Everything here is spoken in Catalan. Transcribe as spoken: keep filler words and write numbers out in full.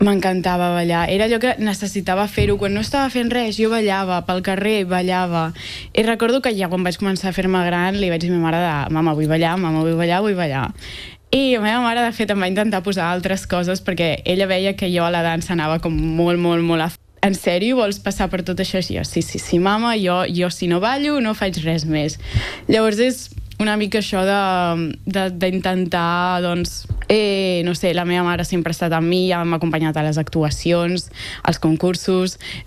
M'encantava ballar. Era allò que necessitava fer-ho. Quan no estava fent res, jo ballava, pel carrer ballava. I recordo que ja quan vaig començar a fer-me gran li vaig dir a ma mare de, mama, vull ballar, mama, vull ballar, vull ballar. I la meva mare, de fet, em va intentar posar altres coses perquè ella veia que jo a la dansa anava com molt, molt, molt a... En sèrio, vols passar per tot això? I jo, sí, sí, sí, mama, jo, jo si no ballo no faig res més. Llavors és una mica això d'intentar, doncs, eh, no sé, la meva mare sempre ha estat amb mi, ja m'ha acompanyat a les actuacions, als concursos,